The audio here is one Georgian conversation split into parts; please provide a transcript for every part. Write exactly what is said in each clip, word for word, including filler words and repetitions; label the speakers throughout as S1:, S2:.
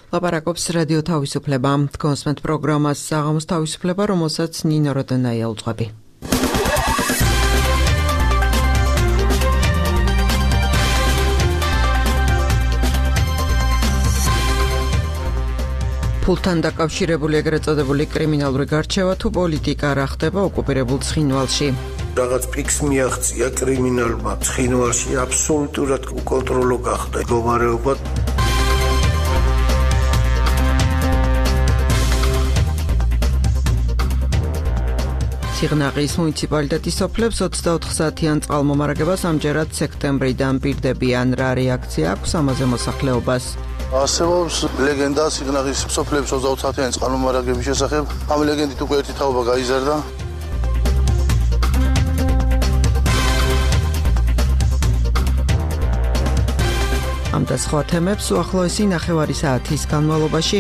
S1: ლაპარაკობს რადიო თავისუფლება. კონსმენტ პროგრამას საღამოს თავისუფლება, რომელსაც ნინო როდენაია უძღვები. ფულთან დაკავშირებული ეგრეთ წოდებული კრიმინალური გარჩევა თუ პოლიტიკა რა ხდება ოკუპირებულ ცხინვალში.
S2: რაღაც ფიქს მიაღწია კრიმინალმა ცხინვალში აბსოლუტურად უკონტროლო გახდა მდგომარეობა. სიღნაღის მუნიციპალიტეტის სოფლებს ოცდაოთხ საათიან წყალმომარაგებას ამჯერად სექტემბრიდან პირდებიან. რა რეაქცია აქვს ამაზე მოსახლეობას?
S3: არსებობს ლეგენდა სიღნაღის სოფლებს ოცდაოთხ საათიანი წყალმომარაგების შესახებ. ამ ლეგენდით უკვე ერთი თაობა გაიზარდა.
S1: ამ და სხვა თემებს უახლოესი ნახევარი საათის განმავლობაში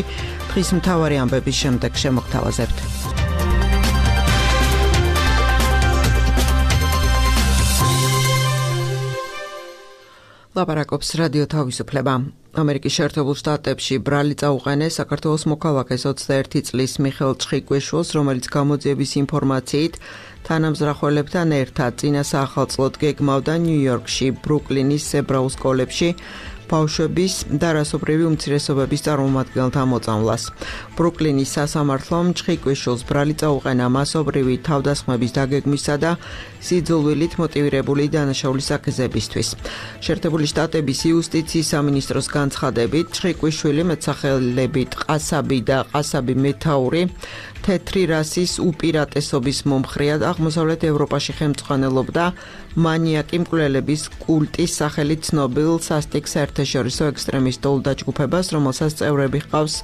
S1: დღის მთავარი ამბების შემდეგ შემოგთავაზებთ. ლაპარაკობს რადიო თავისუფლება. ამერიკის შეერთებულ შტატებში ბრალი წაუყენეს საქართველოს მოქალაქეს ოცდაერთი წლის მიხეილ ჩხიკვიშვილს, რომელიც გამოძიების ინფორმაციით თანამზრახველებთან ერთად წინა საახალწლოდ გეგმავდა ნიუ-იორკში ბრუკლინის ებრაულ სკოლებში ბავშვების და რასობრივი უმცირესობების წარმომადგენელთა მოწამვლას. ბრუკლინის სასამართლომ ჩხიკვიშვილს ბრალი წაუყენა მასობრივი თავდასხმების დაგეგმვისა და სიძულვილით მოტივირებული დანაშაულის აქეზებისთვის. შეერთებული შტატების იუსტიციის სამინისტროს განცხადებით, ჩხიკვიშვილი მეტსახელებით ყასაბი და ყასაბი მეთაური თეთრი რასის უპირატესობის მომხრეად აღმოსავლეთ ევროპაში ხელმძღვანელობდა მანიაკი მკვლელების კულტის სახელით ცნობილ სასტიკ საერთაშორისო ექსტრემისტულ დაჯგუფებას, რომელსაც წევრები ჰყავს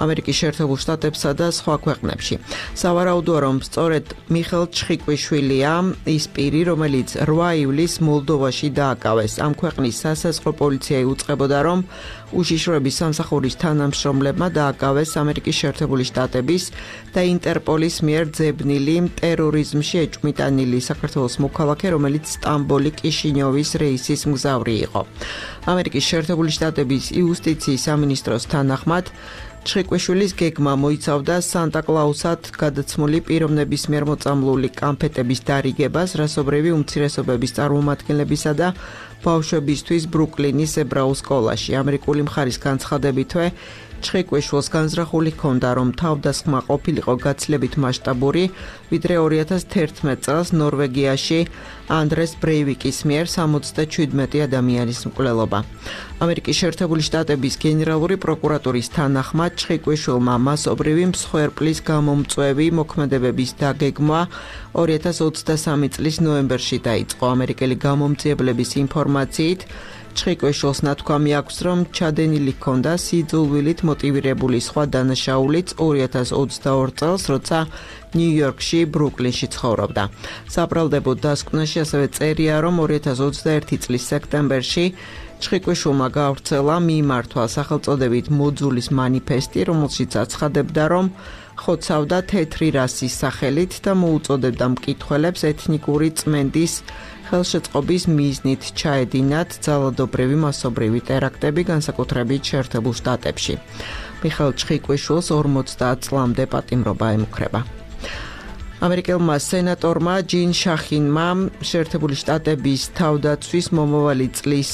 S1: ამერიკის შეერთებულ შტატებსა და სხვა ქვეყნებში. სავარაუდოა, რომ სწორედ მიხეილ ჩხიკვიშვილია ის პირი, რომელიც რვა ივლისს მოლდოვაში დააკავეს. ამ ქვეყნის სასაზღვრო პოლიცია იუწყებოდა, რომ უშიშროების სამსახურის თანამშრომლებმა დააკავეს ამერიკის შეერთებული შტატების და ინტერპოლის მიერ ძებნილი ტერორიზმში ეჭვმიტანილი საქართველოს მოქალაქე, რომელიც სტამბოლი კიშინიოვის რეისის მგზავრი იყო. ამერიკის შეერთებული შტატების იუსტიციის სამინისტროს თანახმად ჩხიკვიშვილის გეგმა მოიცავდა სანტა-კლაუსად გადაცმული პიროვნების მიერ მოწამლული კამფეტების დარიგებას რასობრივი უმცირესობების წარმომადგენლებისა და ბავშვებისთვის ბრუკლინის ებრაულ სკოლაში. ამერიკული მხარის განცხადებითვე ჩხიკვიშვილს განზრახული ჰქონდა, რომ თავდასხმა ყოფილიყო გაცილებით მასშტაბური, ვიდრე ორი ათას თერთმეტ წელს ნორვეგიაში ანდრეს ბრეივიკის მიერ სამოცდაშვიდმეტი ადამიანის მკვლელობა. ამერიკის შეერთებული შტატების გენერალური პროკურატურის თანახმად ჩხიკვიშვილმა მასობრივი მსხვერპლის გამომწვევი მოქმედებების დაგეგმვა ორი ათას ოცდასამი წლის ნოემბერში დაიწყო. ამერიკელი გამომძიებლების ინფორმაციით ჩხიკვიშვილს ნათქვამი აქვს, რომ ჩადენილი ჰქონდა სიძულვილით მოტივირებული სხვა დანაშაულიც ორი ათას ოცდაორ წელს, როცა ნიუ-იორკში ბრუკლინში ცხოვრობდა. საბრალდებო დასკვნაში ასევე წერია, რომ ორი ათას ოცდაერთი წლის სექტემბერში ჩხიკვიშვილმა გაავრცელა მიმართვა სახელწოდებით მოძულის მანიფესტი, რომელშიც აცხადებდა, რომ ხოცავდა თეთრი რასის სახელით და მოუწოდებდა მკითხველებს ეთნიკური წმენდის ხელშეწყობის მიზნით ჩაედინათ ძალადობრივი მასობრივი ტერაქტები, განსაკუთრებით შეერთებულ შტატებში. მიხეილ ჩხიკვიშვილს ორმოცდაათ წლამდე პატიმრობა ემუქრება. ამერიკელმა სენატორმა ჯინ შახინმა შეერთებული შტატების თავდაცვის მომავალი წლის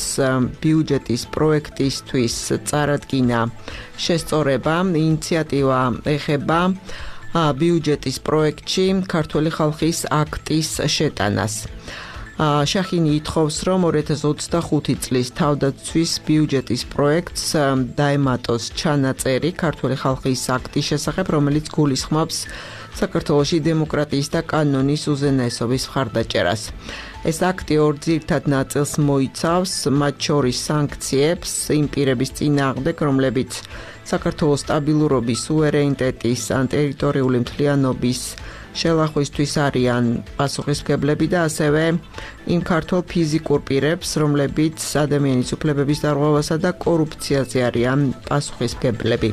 S1: ბიუჯეტის პროექტისთვის წარადგინა შესწორება. ინიციატივა ეხება ბიუჯეტის პროექტში ქართული ხალხის აქტის შეტანას. შახინი ითხოვს, რომ ორი ათას ოცდახუთი წლის თავდაცვის ბიუჯეტის პროექტს დაემატოს ჩანაწერი ქართული ხალხის აქტის შესახებ, რომელიც გულისხმობს საქართველოში დემოკრატიის და კანონის უზენაესობის მხარდაჭერას. ეს აქტი ორ ძირითად ნაწილს მოიცავს, მათ შორის სანქციებს იმ პირების წინააღმდეგ, რომლებიც საქართველოს სტაბილურობის, სუვერენიტეტის ან ტერიტორიული მთლიანობის შელახვისთვის არიან პასუხისმგებლები და ასევე იმ ქართულ ფიზიკურ პირებს, რომლებიც ადამიანის უფლებების დარღვევასა და კორუფციაზე არიან პასუხისმგებლები.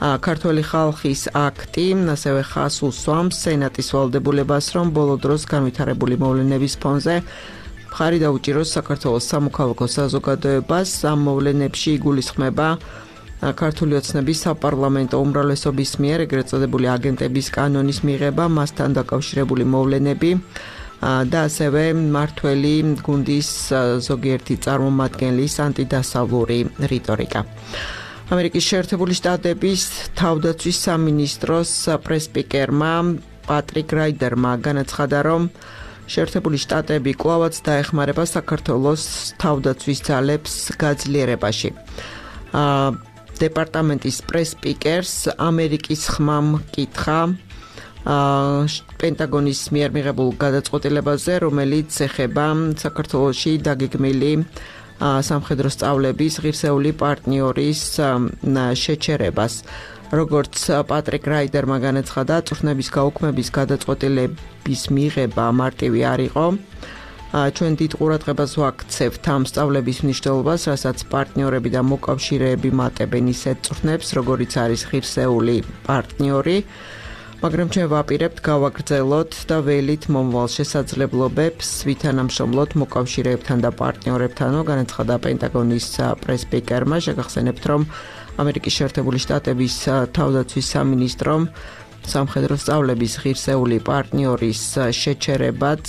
S1: ქართული ხალხის აქტი ასევე ხას უსვამს სენატის ვალდებულებას, რომ ბოლო დროს განვითარებული მოვლენების ფონზე მხარი დაუჭიროს საქართველოს სამოქალაქო საზოგადოებას. ამ მოვლენებში იგულისხმება ქართული ოცნების საპარლამენტო უმრავლესობის მიერ ეგრეთ წოდებული აგენტების კანონის მიღება, მასთან დაკავშირებული მოვლენები და ასევე მართველი გუნდის ზოგიერთი წარმომადგენლის ანტიდასავლური რიტორიკა. ამერიკის შეერთებული შტატების თავდაცვის სამინისტროს პრესპიკერმა პატრიკ რაიდერმა განაცხადა, რომ შეერთებული შტატები კვლავაც დაეხმარება საქართველოს თავდაცვის ძალებს გაძლიერებაში. დეპარტამენტის პრესპიკერს ამერიკის ხმამ კითხა პენტაგონის მიერ მიღებულ გადაწყვეტილებაზე, რომელიც ეხება საქართველოში დაგეგმილი სამხედრო სწავლების ღირსეული პარტნიორის შეჩერებას. როგორც პატრიკ რაიდერმა განაცხადა, წვრთნების გაუქმების გადაწყვეტილების მიღება მარტივი არ იყო. ჩვენ დიდ ყურადღებას ვაქცევთ ამ სწავლების მნიშვნელობას, რასაც პარტნიორები და მოკავშირეები მატებენ ისეთ წვრთნებს, როგორიც არის ღირსეული პარტნიორი, მაგრამ ჩვენ ვაპირებთ გავაგრძელოთ და ველით მომავალ შესაძლებლობებს ვითანამშრომლოთ მოკავშირეებთან და პარტნიორებთანო, განაცხადა პენტაგონის პრესპიკერმა. შეგახსენებთ, რომ ამერიკის შეერთებული შტატების თავდაცვის სამინისტრომ სამხედრო სწავლების ღირსეული პარტნიორის შეჩერებაც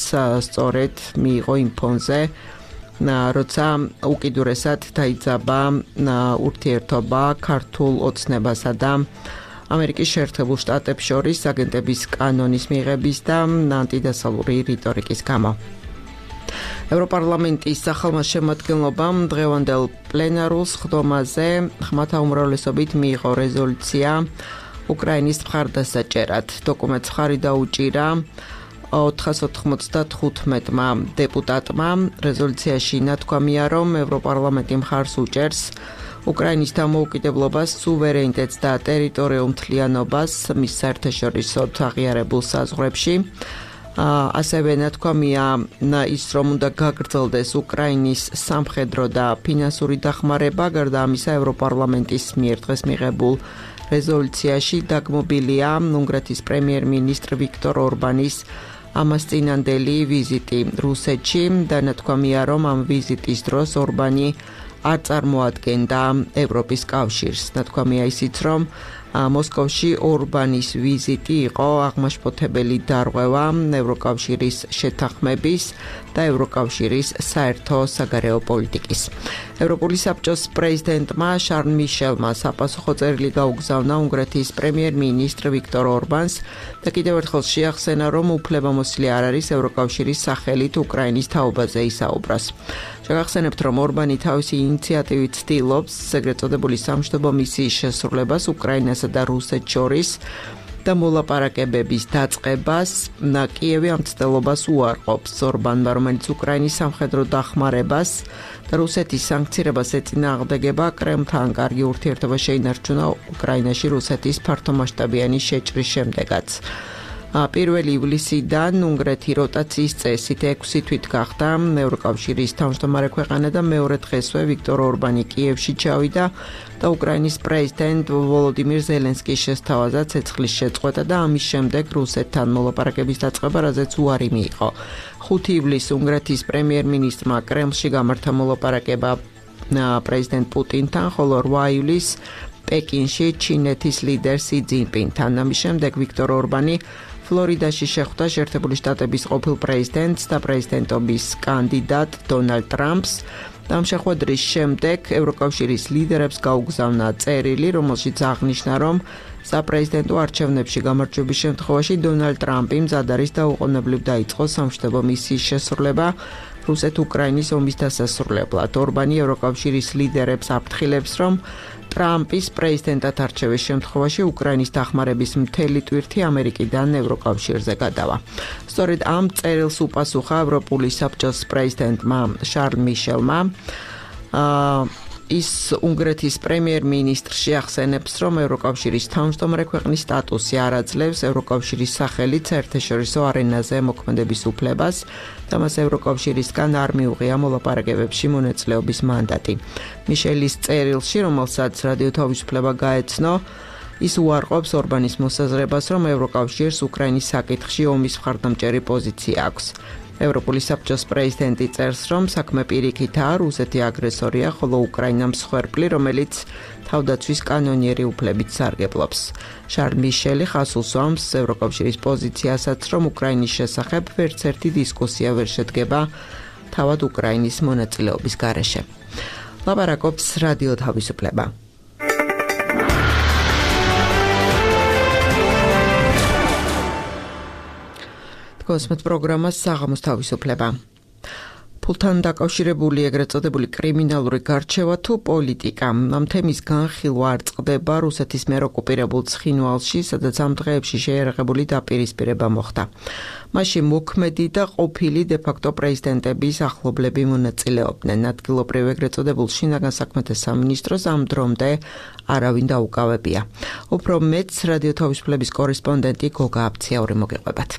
S1: სწორედ მიიღო იმ ფონზე, როცა უკიდურესად დაიძაბა ურთიერთობა ქართულ ოცნებასა და ამერიკის შეერთებულ შტატებს შორის აგენტების კანონის მიღების და ანტიდასავლური რიტორიკის გამო. ევროპარლამენტის სახალხო შემადგენლობამ დღევანდელ პლენარულ სხდომაზე ხმათა უმრავლესობით მიიღო რეზოლუცია უკრაინის მხარდასაჭერად. დოკუმენტს ხარი დაუჭირა ოთხას ოთხმოცდათხუთმეტმა დეპუტატმა. რეზოლუციაში ნათქვამია, რომ ევროპარლამენტი მხარს უჭერს უკრაინის დამოუკიდებლობას, სუვერენიტეტს და ტერიტორიულ მთლიანობას მის საერთაშორისო აღიარებულ საზღვრებში. ასევე ნათქვამია ის, რომ უნდა გაგრძელდეს უკრაინის სამხედრო და ფინანსური დახმარება. გარდა ამისა, ევროპარლამენტის მიერ დღეს მიღებულ რეზოლუციაში დაგმობილია უნგრეთის პრემიერ-მინისტრ ვიქტორ ორბანის ამას წინანდელი ვიზიტი რუსეთში და ნათქვამია, რომ ამ ვიზიტის დროს ორბანი არ წარმოადგენდა ევროპის კავშირს. ნათქვამია ისიც, რომ მოსკოვში ორბანის ვიზიტი იყო აღმაშფოთებელი დარღვევა ევროკავშირის შეთანხმების და ევროკავშირის საერთო საგარეო პოლიტიკის. ევროპული საბჭოს პრეზიდენტმა შარლ მიშელმა საპასუხო წერილი გაუგზავნა უნგრეთის პრემიერ-მინისტრ ვიქტორ ორბანს და კიდევ ერთხელ შეახსენა, რომ უფლებამოსილი არ არის ევროკავშირის სახელით უკრაინის თაობაზე ისაუბროს. შეგახსენებთ, რომ ორბანი თავისი ინიციატივით ცდილობს ეგრეთ წოდებული სამშვიდობო მისიის შესრულებას უკრაინასა და რუსეთს შორის და მოლაპარაკებების დაწყებას. კიევი ამ ცდილობას უარყოფს ორბანმა, რომელიც უკრაინის სამხედრო დახმარებას და რუსეთის სანქცირებას ეწინააღმდეგება. კრემლთან კარგი ურთიერთობა შეინარჩუნა უკრაინაში რუსეთის ფართომასშტაბიანი შეჭრის შემდეგაც. პირველი ივლისიდან უნგრეთი როტაციის წესით ექვსი თვით გახდა ევროკავშირის თავმჯდომარე ქვეყანა და მეორე დღესვე ვიქტორ ორბანი კიევში ჩავიდა და უკრაინის პრეზიდენტ ვოლოდიმირ ზელენსკის შესთავაზა ცეცხლის შეწყვეტა და ამის შემდეგ რუსეთთან მოლაპარაკების დაწყება, რაზეც უარი მიიღო. ხუთი ივლისს უნგრეთის პრემიერ-მინისტრმა კრემლში გამართა მოლაპარაკება პრეზიდენტ პუტინთან, ხოლო რვა ივლისს პეკინში ჩინეთის ლიდერ სი ძინპინთან. ამის შემდეგ ვიქტორ ორბანი ფლორიდაში შეხვდა შეერთებული შტატების ყოფილ პრეზიდენტს და პრეზიდენტობის კანდიდატ დონალდ ტრამპს. ამ შეხვედრის შემდეგ ევროკავშირის ლიდერებს გაუგზავნა წერილი, რომელშიც აღნიშნა, რომ საპრეზიდენტო არჩევნებში გამარჯვების შემთხვევაში დონალდ ტრამპი მზად არის და უყოვნებლივ დაიწყოს სამშვიდობო მისიის შესრულება რუსეთ-უკრაინის ომის დასასრულებლად. ორბანი ევროკავშირის ლიდერებს აფრთხილებს, რომ ტრამპის პრეზიდენტად არჩევის შემთხვევაში უკრაინის დახმარების მთელი ტვირთი ამერიკიდან ევროკავშირზე გადავა. სწორედ ამ წერილს უპასუხა ევროპული საბჭოს პრეზიდენტმა შარლ მიშელმა. ის უნგრეთის პრემიერ-მინისტრს შეახსენებს, რომ ევროკავშირის თავმჯდომარე ქვეყნის სტატუსი არ აძლევს ევროკავშირის სახელით საერთაშორისო არენაზე მოქმედების უფლებას და მას ევროკავშირისგან არ მიუღია მოლაპარაკებებში მონაწილეობის მანდატი. მიშელის წერილში, რომელსაც რადიო თავისუფლება გაეცნო, ის უარყოფს ორბანის მოსაზრებას, რომ ევროკავშირს უკრაინის საკითხში ომის მხარდამჭერი პოზიცია აქვს. ევროპული საბჭოს პრეზიდენტი წერს, რომ საქმე პირიქითაა, რუსეთი აგრესორია, ხოლო უკრაინა მსხვერპლი, რომელიც თავდაცვის კანონიერი უფლებით სარგებლობს. შარლ მიშელი ხაზს უსვამს ევროკავშირის პოზიციასაც, რომ უკრაინის შესახებ ვერც ერთი დისკუსია ვერ შედგება თავად უკრაინის მონაწილეობის გარეშე. ლაპარაკობს რადიო თავისუფლება. კოსმეთ პროგრამას საღამოს თავისუფლება. ფულთან დაკავშირებული ეგრეთ წოდებული კრიმინალური გარჩევა თუ პოლიტიკა. ამ თემის განხილვა არ წყდება რუსეთის მიერ ოკუპირებულ ცხინვალში, სადაც ამ დღეებში შეიარაღებული დაპირისპირება მოხდა. მასში მოქმედი და ყოფილი დე-ფაქტო პრეზიდენტების ახლობლები მონაწილეობდნენ. ადგილობრივ ეგრეთ წოდებულ შინაგან საქმეთა სამინისტროს ამ დრომდე არავინ დაუკავებია. უფრო მეტს რადიო თავისუფლების კორესპონდენტი გოგა აფციაური მოგეყვებათ.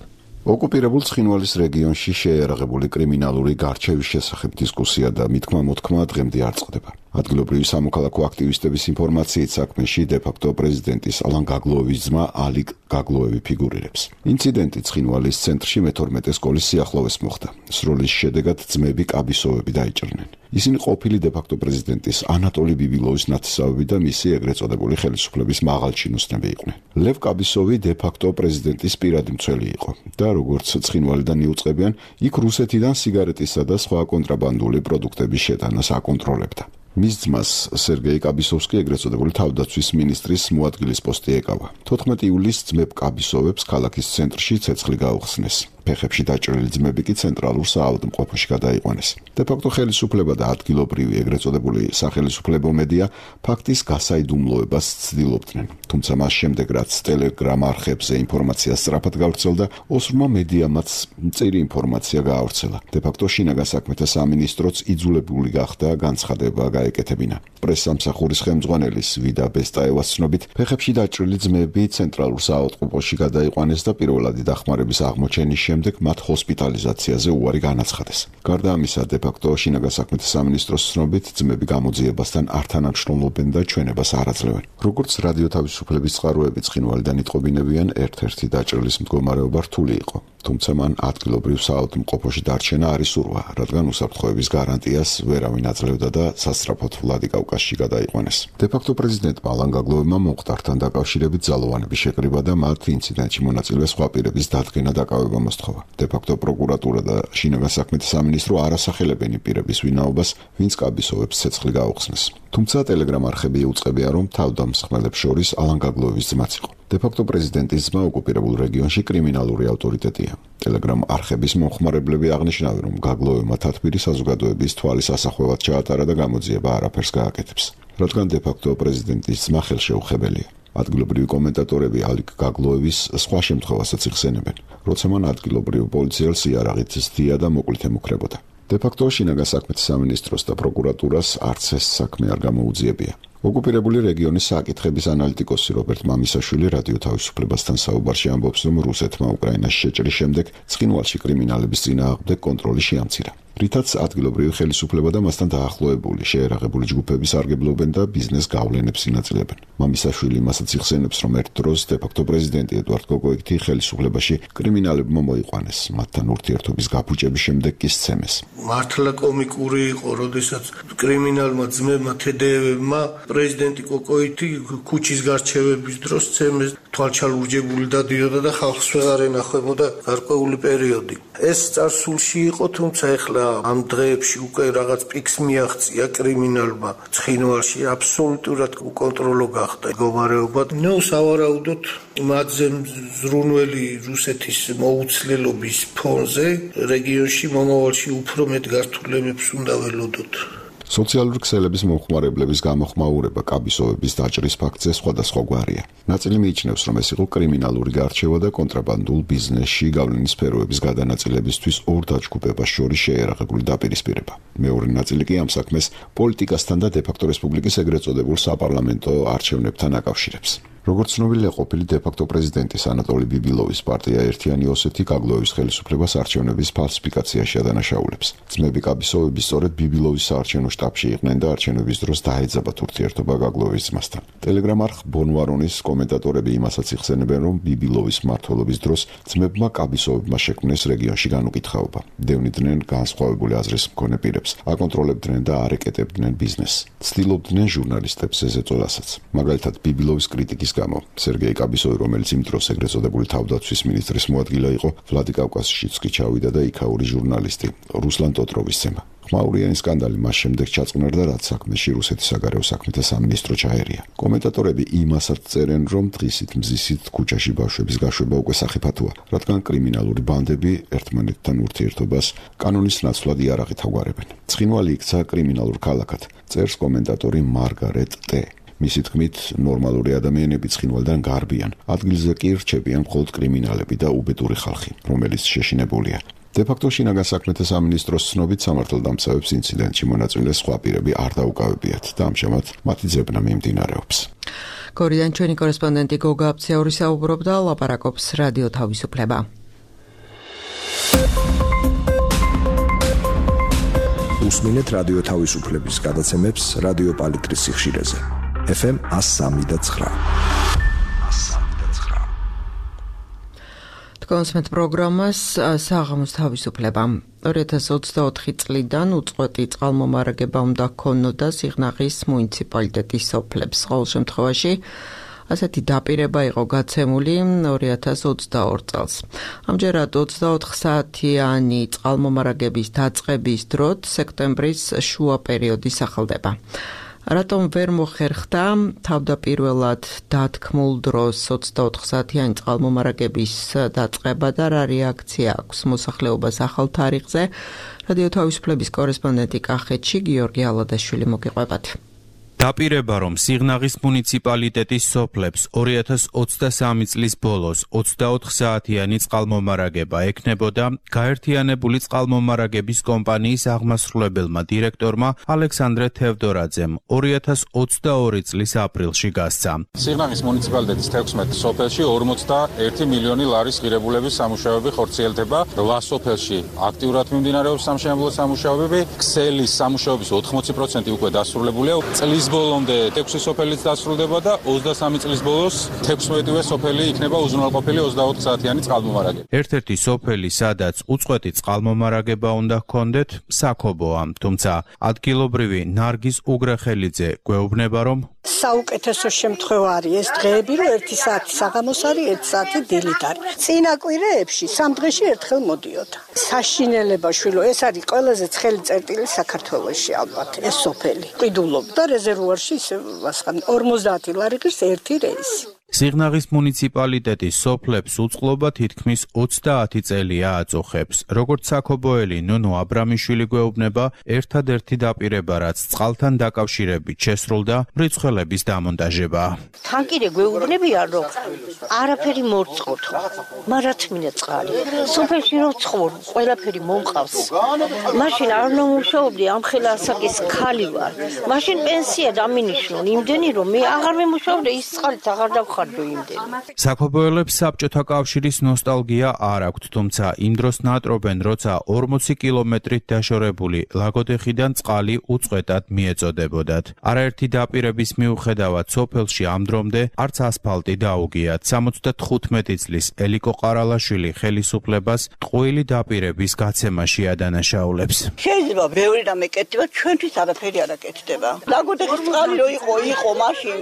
S4: ოკუპირებულ ცხინვალის რეგიონში შეიარაღებული კრიმინალური გარჩევის შესახებ დისკუსია და მითქმა-მოთქმა დღემდე არ წყდება. ადგილობრივი სამოქალაქო აქტივისტების ინფორმაციით საქმეში დე-ფაქტო პრეზიდენტის ალან გაგლოევის ძმა ალიკ გაგლოევი ფიგურირებს. ინციდენტი ცხინვალის ცენტრში მეთორმეტე სკოლის სიახლოვეს მოხდა. სროლის შედეგად ძმები კაბისოვები დაიჭრნენ. ისინი ყოფილი დე-ფაქტო პრეზიდენტის ანატოლი ბიბილოვის ნათესავები და მისი ეგრეთ წოდებული ხელისუფლების მაღალჩინოსნები იყვნენ. ლევ კაბისოვი დე-ფაქტო პრეზიდენტის პირადი მცველი იყო და როგორც ცხინვალიდან იუწყებიან, იქ რუსეთიდან სიგარეტისა და სხვა კონტრაბანდული პროდუქტების შეტანას აკონტროლებდა. მის ძმას სერგეი კაბისოვსკი ეგრეთ წოდებული თავდაცვის მინისტრის მოადგილის პოსტი ეკავა. თოთხმეტი ივლისს ძმებ კაბისოვებს ქალაქის ცენტრში ცეცხლი გაუხსნეს. ფეხებში დაჭრილი ძმები კი ცენტრალურ საავადმყოფოში გადაიყვანეს. დე-ფაქტო ხელისუფლება და ადგილობრივი ეგრეთ წოდებული სახელისუფლებო მედია ფაქტის გასაიდუმლოებას ცდილობდნენ. თუმცა მას შემდეგ, რაც ტელეგრამ არხებზე ინფორმაცია სწრაფად გავრცელდა, ოსრმა მედიამაც მწირი ინფორმაცია გაავრცელა. დე-ფაქტო შინაგან საქმეთა სამინისტროც იძულებული გახდა განცხადება გაეკეთებინა. პრესსამსახურის ხელმძღვანელის ვიდა ბესტაევას ცნობით, ფეხებში დაჭრილი ძმები ცენტრალურ საავადმყოფოში გადაიყვანეს და პირველადი დახმარების აღმოჩენის შემდეგ მათ ჰოსპიტალიზაციაზე უარი განაცხადეს. გარდა ამისა, დე-ფაქტო შინაგან საქმეთა სამინისტროს ცნობით, ძმები გამოძიებასთან არ თანამშრომლობენ და ჩვენებას არ აძლევენ. როგორც რადიო თავისუფლების წყაროები ცხინვალიდან იტყობინებიან, ერთ-ერთი დაჭრილის მდგომარეობა რთული იყო. თუმცა მან ადგილობრივ საავადმყოფოში დარჩენა არ ისურვა, რადგან უსაფრთხოების გარანტიას ვერავინ აძლევდა და სასწრაფოდ ვლადიკავკაზში გადაიყვანეს. დე-ფაქტო პრეზიდენტმა ალან გაგლოევმა მომხდართან დაკავშირებით ძალოვანები შეკრიბა და მათ ინციდენტში მონაწილე სხვა პირების დადგენა დაკავება მოსთხოვა. დე-ფაქტო პროკურატურა და შინაგან საქმეთა სამინისტრო არ ასახელებენ პირების ვინაობას, ვინც კაბისოვებს ცეცხლი გაუხსნეს. თუმცა ტელეგრამ არხები იუწყებია, რომ თავდამსხმელებს შორის ალან გაგლოევის ძმაც იყო. დე-ფაქტო პრეზიდენტის ძმა ოკუპირებულ რეგიონში კრიმინალური ავტორიტეტია. ტელეგრამ არხების მომხმარებლები აღნიშნავენ, რომ გაგლოევმა თათბირი საზოგადოების თვალის ასახვევად ჩაატარა და გამოძიება არაფერს გააკეთებს, რადგან დე-ფაქტო პრეზიდენტის ძმა ხელშეუხებელია. ადგილობრივი კომენტატორები ალიკ გაგლოევის სხვა შემთხვევასაც იხსენებენ, როცა მან ადგილობრივ პოლიციელს იარაღით ზდია და მოკლით ემუქრებოდა. დე-ფაქტო შინაგან საქმეთა სამინისტროს და პროკურატურას არც ეს საქმე არ გამოუძიებია. ოკუპირებული რეგიონის საკითხების ანალიტიკოსი რობერტ მამისაშვილი რადიო თავისუფლებასთან საუბარში ამბობს, რომ რუსეთმა უკრაინას შეჭრის შემდეგ ცხინვალში კრიმინალების წინააღმდეგ კონტროლი შეამცირა. რითაც ადგილობრივი ხელისუფლება და მასთან დაახლოებული შეიარაღებული ჯგუფები სარგებლობენ და ბიზნეს გავლენებს ინაწილებენ. მამისაშვილი მასაც იხსენებს, რომ ერთ დროს დე-ფაქტო პრეზიდენტი ედვარდ კოკოიეთი ხელისუფლებაში კრიმინალებმა მოიყვანეს, მათთან ურთიერთობის გაფუჭების შემდეგ კი სცემეს.
S5: მართლა კომიკური იყო, როდესაც კრიმინალმა ძმებმა თედეევებმა პრეზიდენტი კოკოიეთი ქუჩის გარჩევების დროს სცემეს, თვალჩალურჯებული დადიოდა და ხალხს ვეღარ ენახვებოდა გარკვეული პერიოდი. ეს წარსულში იყო, თუმცა ეხლა ამ დღეებში უკვე რაღაც პიკს მიაღწია კრიმინალმა ცხინვალში, აბსოლუტურად უკონტროლო გახდა მდგომარეობა. ნუ სავარაუდოდ მათზე ზრუნველი რუსეთის მოუცლელობის ფონზე რეგიონში მომავალში უფრო მეტ გართულებებს უნდა ველოდოთ.
S4: სოციალური ქსელების მომხმარებლების გამოხმაურება კაბისოვების დაჭრის ფაქტზე სხვადასხვაგვარია. ნაწილი მიიჩნევს, რომ ეს იყო კრიმინალური გარჩევა და კონტრაბანდულ ბიზნესში გავლენის სფეროების გადანაწილებისთვის ორ დაჯგუფებას შორის შეიარაღებული დაპირისპირება. მეორე ნაწილი კი ამ საქმეს პოლიტიკასთან და დე-ფაქტო რესპუბლიკის ეგრეთ წოდებულ საპარლამენტო არჩევნებთან აკავშირებს. როგორც ცნობილია, ყოფილი დე-ფაქტო პრეზიდენტის ანატოლი ბიბილოვის პარტია ერთიანი ოსეთი გაგლოვის ხელისუფლებას არჩევნების ფალსიფიკაციაში ადანაშაულებს. ძმები კაბისოვები სწორედ ბიბილოვის საარჩევნო შტაბში იყვნენ და არჩევნების დროს დაეძაბათ ურთიერთობა გაგლოვის ძმასთან. ტელეგრამ არხ ბონვარონის კომენტატორები იმასაც იხსენებენ, რომ ბიბილოვის მმართველობის დროს ძმებმა კაბისოვებმა შექმნეს რეგიონში განუკითხაობა. დევნიდნენ განსხვავებული აზრის მქონე პირებს, აკონტროლებდნენ და არეკეტებდნენ ბიზნესს. ცდილობდნენ ჟურნალისტებს ეზეწოლასაც. მაგალითად, ბიბილოვის კრიტიკის გამო სერგეი კაბისოვი, რომელიც იმ დროს ეგრეთ წოდებული თავდაცვის მინისტრის მოადგილე იყო, ვლადიკავკაზშიც კი ჩავიდა და იქაური ჟურნალისტი რუსლან ტოტროვის ცემა. ხმაურიანი სკანდალი მას შემდეგ ჩაწყნარდა, რაც საქმეში რუსეთის საგარეო საქმეთა სამინისტრო ჩაერია. კომენტატორები იმასაც წერენ, რომ დღისით მზისით ქუჩაში ბავშვების გაშვება უკვე სახიფათოა, რადგან კრიმინალური ბანდები ერთმანეთთან ურთიერთობას კანონის ნაცვლად იარაღით აგვარებენ. ცხინვალი იქცა კრიმინალურ ქალაქად, წერს კომენტატორი მარგარეტ ტე. მისი თქმით, ნორმალური ადამიანები ცხინვალიდან გარბიან, ადგილზე კი რჩებიან მხოლოდ კრიმინალები და უბედური ხალხი, რომელიც შეშინებულია. დე-ფაქტო შინაგან საქმეთა სამინისტროს ცნობით სამართალდამცავებს ინციდენტში მონაწილე სხვა პირები არ დაუკავებიათ და ამჟამად მათი ძებნა მიმდინარეობს.
S1: გორიდან ჩვენი კორესპონდენტი გოგა აფციური საუბრობდა, ლაპარაკობს რადიო თავისუფლება.
S6: უსმინეთ რადიო თავისუფლების გადაცემებს რადიო პალიტრის სიხშირეზე. ეფ ემ one oh three point nine.
S1: თქვენს პროგრამას საღამოს თავისუფლება. ორი ათას ოცდაოთხი წლიდან უწყვეტი წყალმომარაგება უნდა ჰქონოდა სიღნაღის მუნიციპალიტეტის სოფლებს. ყოველ შემთხვევაში ასეთი დაპირება იყო გაცემული ორი ათას ოცდაორ წელს. ამჯერად ოცდაოთხ საათიანი წყალმომარაგების დაწყების დროთ სექტემბრის შუა პერიოდი სახელდება. რატომ ვერ მოხერხდა თავდაპირველად დათქმულ დროს ოცდაოთხ საათიანი წყალმომარაგების დაწყება და რა რეაქცია აქვს მოსახლეობას ახალ თარიღზე? რადიო თავისუფლების კორესპონდენტი კახეთში გიორგი ალადაშვილი მოგიყვებათ.
S7: დაპირება, რომ სიღნაღის მუნიციპალიტეტის სოფლებს ორი ათას ოცდასამი წლის ბოლოს ოცდაოთხ საათიანი წყალმომარაგება ექნებოდა, გაერთიანებული წყალმომარაგების კომპანიის აღმასრულებელმა დირექტორმა ალექსანდრე თევდორაძემ ორი ათას ოცდაორი წლის აპრილში გასცა.
S8: სიღნაღის მუნიციპალიტეტის თექვსმეტ სოფელში ორმოცდაერთი მილიონი ლარის ღირებულების სამუშაოები ხორციელდება. რვა სოფელში აქტიურად მიმდინარეობს სამშენებლო სამუშაოები. ქსელის სამუშაოების ოთხმოცი პროცენტი უკვე დასრულებულია. წლის ბოლომდე ექვსი სოფელიც დასრულდება და ოცდასამი წლის ბოლოს თექვსმეტივე სოფელი იქნება უზრუნველყოფილი ოცდაოთხ საათიანი წყალმომარაგება.
S7: ერთ-ერთი სოფელი, სადაც უწყვეტი წყალმომარაგება უნდა ჰქონდეთ, საქობოა, თუმცა ადგილობრივი ნარგიზ უგრეხელიძე გვეუბნება, რომ
S9: საუკეთესო შემთხვევა არის ეს დღეები, რომ ერთი საათი საღამოს არის, ერთი საათი დილით არის. წინა კვირეებში სამ დღეში ერთხელ მოდიოდა. საშინელება შვილო, ეს არის ყველაზე ცხელი წერტილი საქართველოში ალბათ, ეს სოფელი. ყიდულობდა რეზერვუარში ისე ორმოცდაათი ლარი ღირს ერთი რეისი.
S7: სიღნაღის მუნიციპალიტეტის სოფლებს უწყლობა თითქმის ოცდაათი წელია აწუხებს. როგორც საქობოელი ნუნუ აბრამიშვილი გვეუბნება, ერთადერთი დაპირება, რაც წყალთან დაკავშირებით შესრულდა, მრიცხველების დამონტაჟება.
S10: თან კიდე გვეუბნებია, რომ არაფერი მორწყოთ, მაგრამ თმინა წყალი. სოფელში რო ცხოვრ, ყველაფერი მომყავს. მაშინ არ უნდა მუშაობდი, ამ ხელა ასაკის ქალი ვარ. მაშინ პენსია დამინიშნო, იმდენი რომ მე აღარ მემუშაობდი, ის წყალით აღარ დავხარ.
S7: საქობოელებს საბჭოთა კავშირის ნოსტალგია არ აქვთ, თუმცა იმ დროს ნატრობენ, როცა ორმოცი კილომეტრით დაშორებული ლაგოდეხიდან წყალი უწყვეტად მიეწოდებოდათ. არაერთი დაპირების მიუხედავად სოფელში ამ დრომდე არც ასფალტი დაუგიათ. სამოცდათხუთმეტი წლის ელიკო ყარალაშვილი ხელისუფლებას ტყუილი დაპირების გაცემაში ადანაშაულებს.
S11: შეიძლება ბევრი რამე კეთდება, ჩვენთვის არაფერი არ აკეთდება. ლაგოდეხის წყალი რო იყო, იყო მაშინ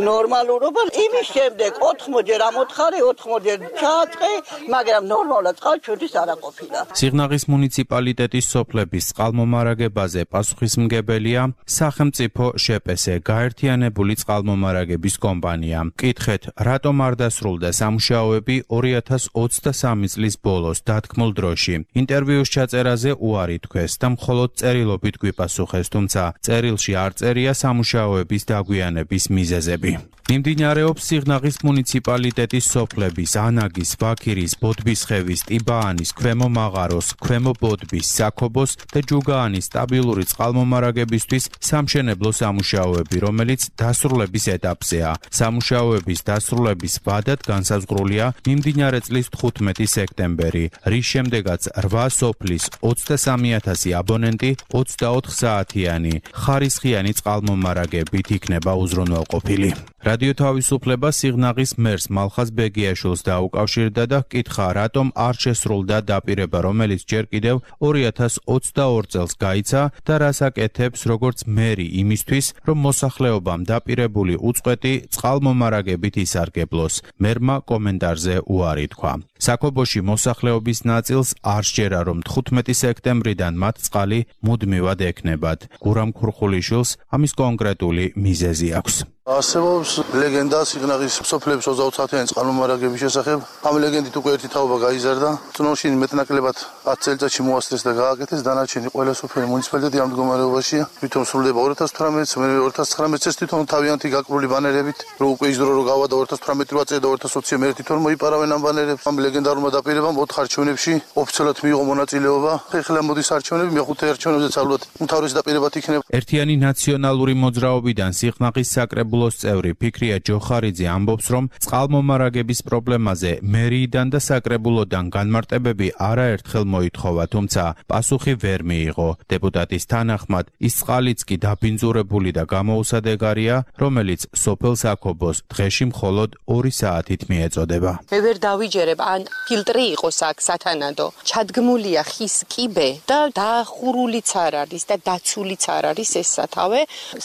S11: ნორმალურობა, იმის შემდეგ ოთხმოჯერ ამოთხარი, ოთხმოჯერ ჩააწყე, მაგრამ ნორმალურად წყალი ჩვენთვის არ აყოფილა.
S7: სიღნაღის მუნიციპალიტეტის სოფლების წყალმომარაგებაზე პასუხისმგებელია სახელმწიფო შეპესე, გაერთიანებული წყალმომარაგების კომპანია. მკითხეთ, რატომ არ დასრულდა სამუშაოები ორი ათას ოცდასამი წლის ბოლოს დათქმულ დროში. ინტერვიუს ჩაწერაზე უარი თქვეს და მხოლოდ წერილობით გვიპასუხეს, თუმცა წერილში არ წერია სამუშაოების დაგვიანების მიზეზები. მიმდინარეობს სიღნაღის სიღნაღის მუნიციპალიტეტის სოფლების ანაგის, ვაქირის, ბოდბისხევის, ტიბაანის, ქვემო მაღაროს, ქვემო ბოდბის, საქობოს და ჯუგაანის სტაბილური წყალმომარაგებისთვის სამშენებლო სამუშაოები, რომელიც დასრულების ეტაპზეა. სამუშაოების დასრულების ვადად განსაზღვრულია მიმდინარე წლის თხუთმეტი სექტემბერი, რის შემდეგაც რვა სოფლის ოცდასამი ათასი აბონენტი ოცდაოთხ საათიანი ხარისხიანი წყალმომარაგებით იქნება უზრუნველყოფილი. რადიო თავისუფლება სიღნაღის მერს მალხაზ ბეგიაშვილს დაუკავშირდა და ჰკითხა, რატომ არ შესრულდა დაპირება, რომელიც ჯერ კიდევ ორი ათას ოცდაორ წელს გაიცა და რას აკეთებს როგორც მერი იმისთვის, რომ მოსახლეობამ დაპირებული უწყვეტი წყალმომარაგებით ისარგებლოს. მერმა კომენტარზე უარი თქვა. საქობოში მოსახლეობის ნაწილს არ სჯერა, რომ თხუთმეტი სექტემბრიდან მათ წყალი მუდმივად ექნებათ. გურამ ქურხულიშვილს ამის კონკრეტული მიზეზი აქვს.
S3: არსებობს ლეგენდა სიღნაღის სოფლების ოცდაოთხსაათიანი წყალმომარაგების შესახებ. ამ ლეგენდით უკვე ერთი თაობა გაიზარდა. წნოში მეტნაკლებად ათ წელიწადში მოასწრეს და გააკეთეს. დანარჩენი ყველა სოფელი მუნიციპალიტეტი ამ მდგომარეობაშია. თვითონ სრულდება ორი ათას თვრამეტს, მე ორი ათას ცხრამეტს ეს თვითონ თავიანთი გაკრული ბანერებით, რომ უკვე ის დრო რო გავადა ორი ათას თვრამეტი რვა წელი და ორი ათას ოცი მე თვითონ მოიპარავენ ამ ბანერებს. ამ ლეგენდარულმა დაპირებამ ოთხ არჩევნებში ოფიციალურად მიიღო მონაწილეობა. ეხლა მოდის არჩევნები, მეხუთე არჩევნებზეც ალბათ უმთავრესი დაპირებად იქნება.
S7: ერთიანი ნაციონალური მოძრაობიდან სიღნაღის საკრებულოს წევრი ფიქრია ჯოხარიძე ამბობს, რომ წყალმომარაგების პრობლემაზე მერიიდან და საკრებულოდან განმარტებები არაერთხელ მოითხოვა, თუმცა პასუხი ვერ მიიღო. დეპუტატის თანახმად, ის წყალიც კი დაბინძურებული და გამოუსადეგარია, რომელიც სოფელ საქობოს დღეში მხოლოდ ორი საათით მიეწოდება.
S12: მე ვერ დავიჯერებ, ან ფილტრი იყოს აქ სათანადო. ჩადგმულია ხის კიბე და დახურულიც არ არის და დაცულიც არ არის ეს სათავე,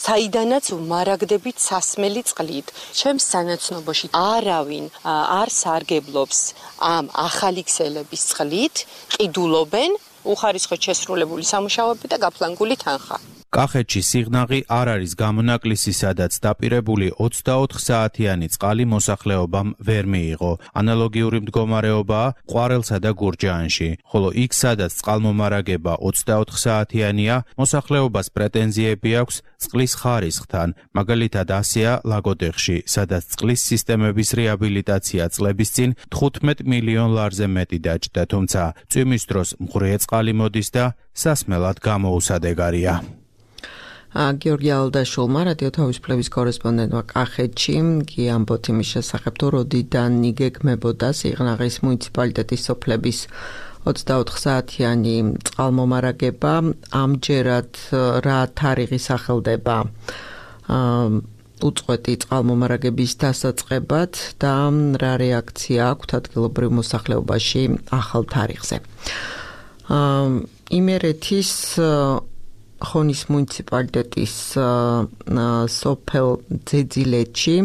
S12: საიდანაც მარაგდებით სასმელი წყლით. ჩემს სანაცნობოში არავინ არ სარგებლობს ამ ახალი ქსელების წყლით, ყიდულობენ უხარისხოდ შესრულებული სამუშაოები და გაფლანგული თანხა.
S7: კახეთში სიღნაღი არ არის გამონაკლისი, სადაც დაპირებული ოცდაოთხ საათიანი წყალი მოსახლეობამ ვერ მიიღო. ანალოგიური მდგომარეობაა ყვარელსა და გურჯაანში, ხოლო იქ, სადაც წყალმომარაგება ოცდაოთხ საათიანია, მოსახლეობას პრეტენზიები აქვს წყლის ხარისხთან. მაგალითად ასეა ლაგოდეხში, სადაც წყლის სისტემების რეაბილიტაცია წლების წინ თხუთმეტ მილიონ ლარზე მეტი დაჯდა, თუმცა წვიმის დროს მღრიე წყალი მოდის და სასმელად გამოუსადეგარია.
S1: გიორგი ალდაშულმა, რადიო თავისუფლების კორესპონდენტმა კახეთში, კი ამბობთ იმის შესახებ, თუ როდიდან იგეგმებოდა სიღნაღის მუნიციპალიტეტის სოფლების ოცდაოთხ საათიანი წყალმომარაგება, ამჯერად რა თარიღი სახელდება უწყვეტი წყალმომარაგების დასაწყებად და რა რეაქცია აქვთ ადგილობრივ მოსახლეობაში ახალ თარიღზე. იმერეთის ხონის მუნიციპალიტეტის სოფელ ძეძილეთში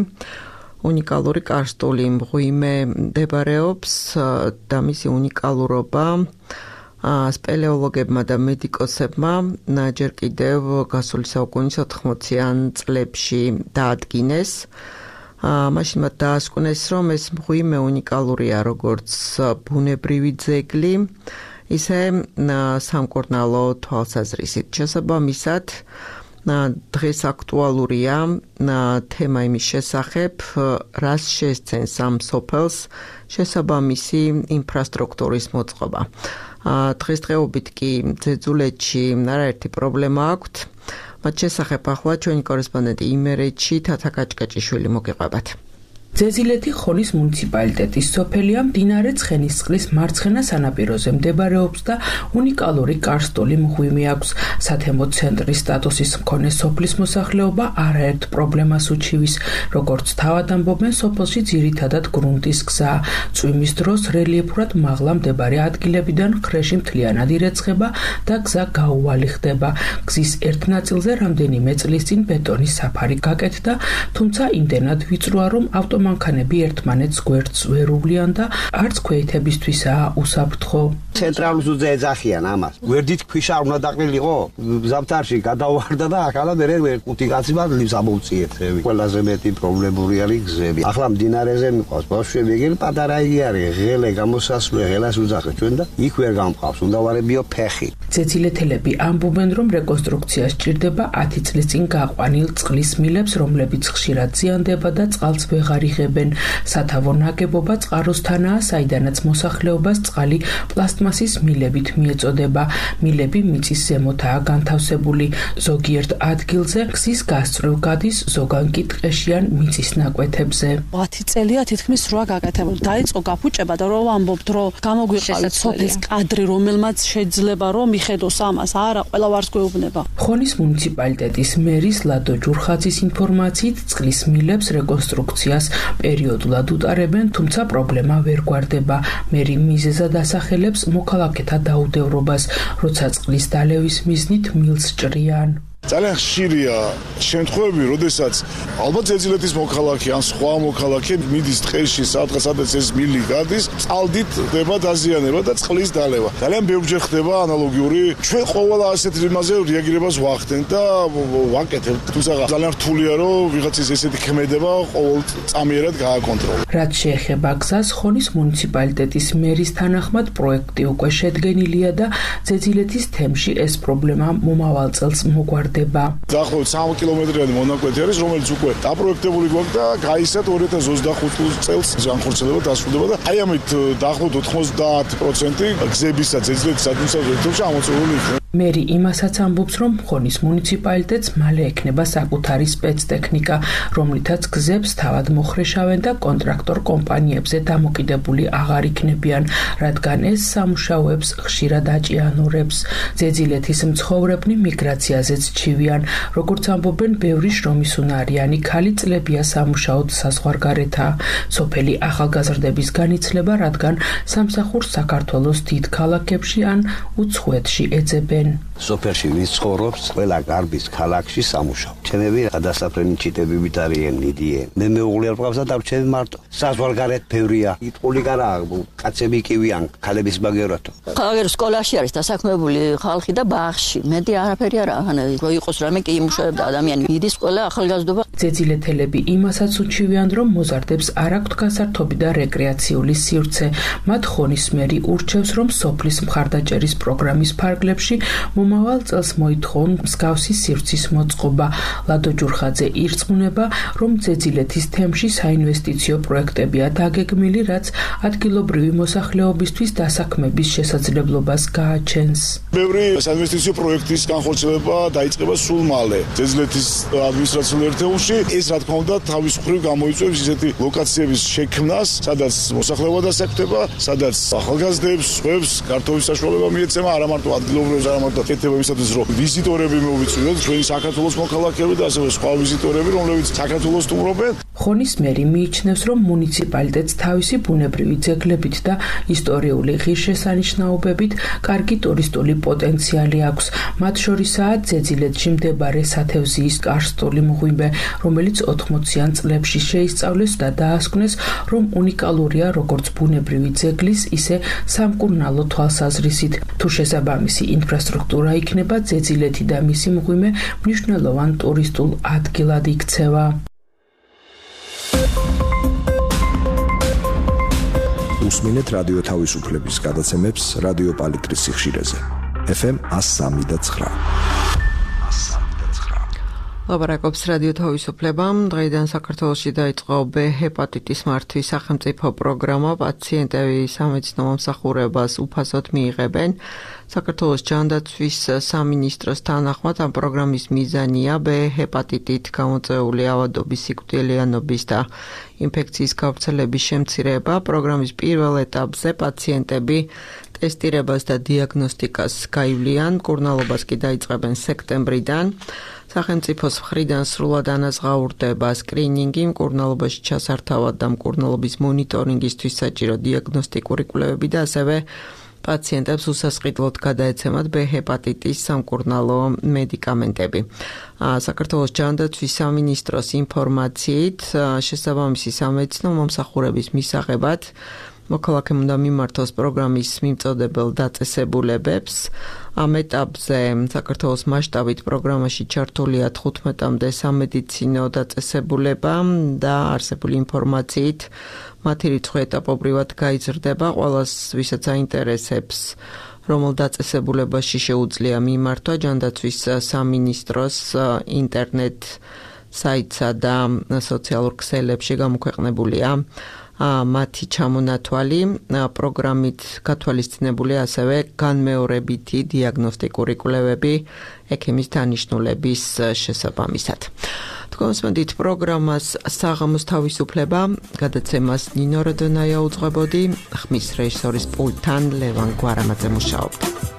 S1: უნიკალური კარსტული მღვიმე მდებარეობს და მისი უნიკალურობა სპელეოლოგებმა და მედიკოსებმა ჯერ კიდევ გასული საუკუნის ოთხმოციან წლებში დაადგინეს. მაშინ მათ დაასკვნეს, რომ ეს მღვიმე უნიკალურია როგორც ბუნებრივი ძეგლი, ისე სამკურნალო თვალსაზრისით. შესაბამისად, დღეს აქტუალურია თემა იმის შესახებ, რას შესცენს ამ სოფელს შესაბამისი ინფრასტრუქტურის მოწყობა. დღესდღეობით კი ძეძულეთში არაერთი პრობლემა აქვთ. მათ შესახებ ახლა ჩვენი კორესპონდენტი იმერეთში თათა კაჭკაჭიშვილი მოგიყვებათ.
S13: ძეძილეთი ხონის მუნიციპალიტეტის სოფელია, მდინარე ცხენისწყლის მარცხენა სანაპიროზე მდებარეობს და უნიკალური კარსტული მღვიმე აქვს. სათემო ცენტრის სტატუსის მქონე სოფლის მოსახლეობა არაერთ პრობლემას უჩივის. როგორც თავად ამბობენ, სოფელში ძირითადად გრუნტის გზაა. წვიმის დროს რელიეფურად მაღლა მდებარე ადგილებიდან ხრეში მთლიანად ირეცხება და გზა გაუვალი ხდება. გზის ერთ ნაწილზე რამდენიმე წლის წინ ბეტონის საფარი გაკეთდა, თუმცა იმდენად ვიწროა, რომ ავტო მანქანები ერთმანეთს გვერდს ვერ უვლიან და არც ქვეითებისთვისაა უსაფრთხო.
S14: ცენტრალურ ზურგზე ეძახიან ამას. გვერდით ქვიშა უნდა დაყრილიყო, ზამთარში გადავარდა და ახლა მერე ხუთი კაცი მადლებს ამოვწიეთ. ყველაზე მეტი პრობლემური არის გზები. ახლა მდინარეზე მიყვავს ბავშვები, ეგრე პატარა იგი არის, ღელე გამოსასვლელი, ღელას უძახეთ ჩვენ და იქ ვერ გამყავს, უნდა ვარებიო ფეხი.
S13: ძეძილეთელები ამბობენ, რომ რეკონსტრუქცია სჭირდება ათი წლის წინ გაყვანილ წყლის მილებს, რომლებიც ხშირად ზიანდება და წყალს ვეღარ იღებენ. სათავო ნაგებობა წყაროსთანაა, საიდანაც მოსახლეობას წყალი პლასტმასის მილებით მიეწოდება. მილები მიწის ზემოთაა განთავსებული. ზოგიერთ ადგილზე გზის გასწვრივ გადის, ზოგან კი ტყეში ან მიწის ნაკვეთებზე.
S15: ათი წელია თითქმის რვა გაკეთებული. დაიწყო გაფუჭება და რომ ამბობთ, რომ გამოგვიყავით სოფლის კადრი, რომელმაც შეიძლება რომ მიხედოს ამას, არა, ყველა ვარს გვეუბნება.
S13: ხონის მუნიციპალიტეტის მერის ლადო ჯურხაძის ინფორმაციით წყლის მილებს რეკონსტრუქციას პერიოდულად უტარებენ, თუმცა პრობლემა ვერ გვარდება. მერი მიზეზად ასახელებს მოქალაქეთა დაუდევრობას, როცა წყლის დალევის მიზნით მილს ჭრიან.
S16: ძალიან ხშირია შემთხვევები, როდესაც ალბათ ზეძილეთის მოქალაქე ან სხვა მოქალაქე მიდის ტყეში, სადღაც ეს მილი გადის, წყალდით ხდება დაზიანება და წყლის დალევა. ძალიან ბევრჯერ ხდება ანალოგიური. ჩვენ ყოველ ასეთ რიმაზე რეაგირებას ვახდენთ და ვაკეთებთ. თუმცა ძალიან რთულია, რომ ვიღაცის ესეთი ქმედება ყოველ წამიერად გააკონტროლოს.
S13: რაც შეეხება გზას, ხონის მუნიციპალიტეტის მერის თანახმად პროექტი უკვე შედგენილია და ზეძილეთის თემში ეს პრობლემა მომავალ წელს მოგვარდება.
S16: დაახლოებით სამი კილომეტრიანი მონაკვეთი არის, რომელიც უკვე დაპროექტებული გვაქვს და გაიცათ ორი ათას ოცდახუთი წელს განხორციელება დასრულდება და აი ამით დაახლოებით ოთხმოცდაათი პროცენტი გზებისა ზეძილეთის ადმინისტრაციებში ამოწურული იქნება.
S13: მერი იმასაც ამბობს, რომ ხონის მუნიციპალიტეტს მალე ექნება საკუთარი სპეცტექნიკა, რომლითაც გზებს თავად მოხრეშავენ და კონტრაქტორ კომპანიებზე დამოკიდებული აღარ იქნებიან, რადგან ეს სამუშაოებს ხშირად აჭიანურებს. ზეძილეთის მცხოვრებნი მიგრაციაზეც ჩივიან, როგორც ამბობენ, ბევრი შრომისუნარიანი ქალი წლებია სამუშაოდ საზღვარგარეთაა. სოფელი ახალგაზრდების განიცლება, რადგან სამსახურს საქართველოს დიდ ქალაქებში ან უცხოეთში ეძებენ.
S14: სოფელში ვინც ცხოვრობს, ყველა გარბის ქალაქში სამუშაო. ჩემები გადასაფრენი ჩიტები ვიტარიან, მიდიან. მე მეუღლე არ მყავს და ჩემი მარტო. საზღვარგარეთ ბევრია. იტყული კარა, კაცები კივიან, ქალების ბაგერათო.
S17: ხალხი სკოლაში არის დასაქმებული ხალხი და ბაღში. მეტი არაფერი არა, ახლა რო იყოს რამე კი იმუშავებდა ადამიანი. იდის ყველა ახალგაზრდობა.
S13: ზეძილეთელები იმასაც უჩივიან, რომ მოზარდებს არ აქვთ გასართობი და რეკრეაციული სივრცე. მათ ხონის მერი ურჩევს, რომ სოფლის მხარდაჭერის პროგრამის ფარგლებში მომავალ წელს მოითხოვონ მსგავსი სივრცის მოწყობა. ლადო ჯურხაძე ირწმუნება, რომ ზეძილეთის თემში საინვესტიციო პროექტებია დაგეგმილი, რაც ადგილობრივი მოსახლეობისთვის დასაქმების შესაძლებლობას გააჩენს.
S16: ბევრი საინვესტიციო პროექტის განხორციელება დაიწყება სულ მალე. ზეძილეთის ადმინისტრაციულ ერთეულში ეს რა თქმა უნდა თავის მხრივ გამოიწვევს ისეთი ლოკაციების შექმნას, სადაც მოსახლეობა დასაქმდება, სადაც ახალგაზრდებს, სხვებს გართობის საშუალება მიეცემა არა მარტო ადგილობრივებს, არა მარტო კეთებებისათვის, რომ ვიზიტორები მოვიწვიოთ, ჩვენი საქართველოს მოქალაქეები და ასევე სხვა ვიზიტორები, რომლებიც საქართველოს სტუმრობენ.
S13: ხონის მერი მიიჩნევს, რომ მუნიციპალიტეტს თავისი ბუნებრივი ძეგლებით და ისტორიული ღირსშესანიშნაობებით კარგი ტურისტული პოტენციალი აქვს. მათ შორისაა ზეძილეთში მდებარე სათევზიის კარსტული მღვიმე, რომელიც ოთხმოციან წლებში შეისწავლეს და დაასკვნეს, რომ უნიკალურია როგორც ბუნებრივი ძეგლის, ისე სამკურნალო თვალსაზრისით. თუ შესაბამისი ინფრასტრუქტურა იქნება, ზეძილეთი და მისი მღვიმე მნიშვნელოვან ტურისტულ ადგილად იქცევა.
S6: უსმინეთ რადიო თავისუფლების გადაცემებს რადიო პალიტრის სიხშირეზე. ეფ ემ one oh three და nine.
S1: ლაბორატორიის რადიო თავისუფლებამ დღეიდან საქართველოში დაიწყო ბ ჰეპატიტის მართვის სახელმწიფო პროგრამა. პაციენტები სამედიცინო მომსახურებას უფასოდ მიიღებენ. საქართველოს ჯანდაცვის სამინისტროს თანახმად ამ პროგრამის მიზანია ბ ჰეპატიტით გამოწვეული ავადობის, სიკვდილიანობის და ინფექციის გავრცელების შემცირება. პროგრამის პირველ ეტაპზე პაციენტები ტესტირებას და დიაგნოსტიკას გაივლიან, მკურნალობას კი დაიწყებენ სექტემბრიდან. სახელმწიფოს მხრიდან სრულად ანაზღაურდება სკრინინგი, მკურნალობაში ჩასართავად და მკურნალობის მონიტორინგისთვის საჭირო დიაგნოსტიკური კვლევები და ასევე პაციენტებს უსასყიდლოდ გადაეცემათ ბ ჰეპატიტის სამკურნალო მედიკამენტები. საქართველოს ჯანდაცვის სამინისტროს ინფორმაციით შესაბამისი სამედიცინო მომსახურების მისაღებად მოქალაქემ უნდა მიმართოს პროგრამის მიმწოდებელ დაწესებულებებს. ამ ეტაპზე საქართველოს მასშტაბით პროგრამაში ჩართულია თხუთმეტამდე სამედიცინო დაწესებულება და არსებული ინფორმაციით მათი რიცხვი ეტაპობრივად გაიზრდება. ყველას, ვისაც აინტერესებს, რომელ დაწესებულებაში შეუძლია მიმართვა, ჯანდაცვის სამინისტროს ინტერნეტ საიტსა და სოციალურ ქსელებში გამოქვეყნებულია მათი ჩამონათვალი. პროგრამით გათვალისწინებულია ასევე განმეორებითი დიაგნოსტიკური კვლევები ექიმის დანიშნულების შესაბამისად. თქვენსმენდით პროგრამას საღამოს თავისუფლება, გადაცემას ნინო როდონაია უძღვებოდი, ხმის რეჟისორის პულტთან ლევან გვარამაძე მუშაობდა.